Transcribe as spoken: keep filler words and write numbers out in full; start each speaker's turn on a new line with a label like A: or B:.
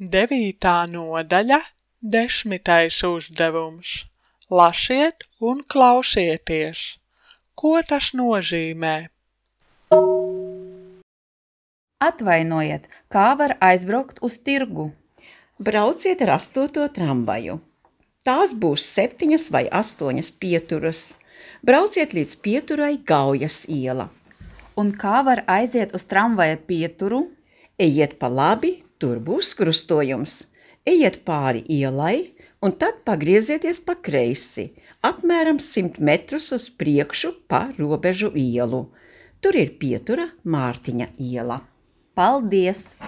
A: Devītā nodaļa, desmitais uzdevums. Lasiet un klausieties. Ko tas nozīmē?
B: Atvainojiet, kā var aizbraukt uz tirgu?
C: Brauciet ar astoto tramvaju. Tās būs septiņas vai astoņas pieturas. Brauciet līdz pieturai Gaujas iela.
B: Un kā var aiziet uz tramvaja pieturu?
C: Ejiet pa labi, tur būs krustojums. Ejiet pāri ielai un tad pagriezieties pa kreisi, apmēram simt metrus uz priekšu pa Robežu ielu. Tur ir pietura Mārtiņa iela.
B: Paldies!